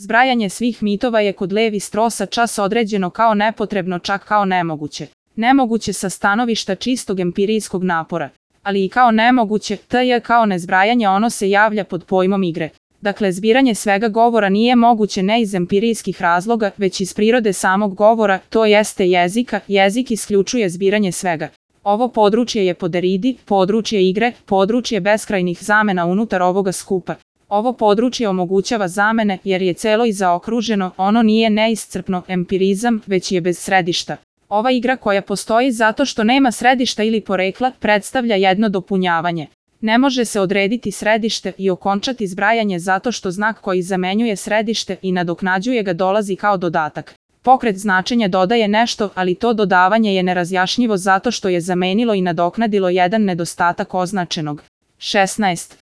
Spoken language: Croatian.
Zbrajanje svih mitova je kod Levi Strosa čas određeno kao nepotrebno, čak kao nemoguće. Nemoguće sa stanovišta čistog empirijskog napora, ali i kao nemoguće, tj. kao nezbrajanje ono se javlja pod pojmom igre. Dakle, zbiranje svega govora nije moguće ne iz empirijskih razloga, već iz prirode samog govora, to jeste jezika. Jezik isključuje zbiranje svega. Ovo područje je po Derridi područje igre, područje beskrajnih zamena unutar ovoga skupa. Ovo područje omogućava zamene jer je celo i zaokruženo, ono nije neiscrpno empirizam, već je bez središta. Ova igra koja postoji zato što nema središta ili porekla predstavlja jedno dopunjavanje. Ne može se odrediti središte i okončati zbrajanje zato što znak koji zamenjuje središte i nadoknađuje ga dolazi kao dodatak. Pokret značenja dodaje nešto, ali to dodavanje je nerazjašnjivo zato što je zamenilo i nadoknadilo jedan nedostatak označenog. 16.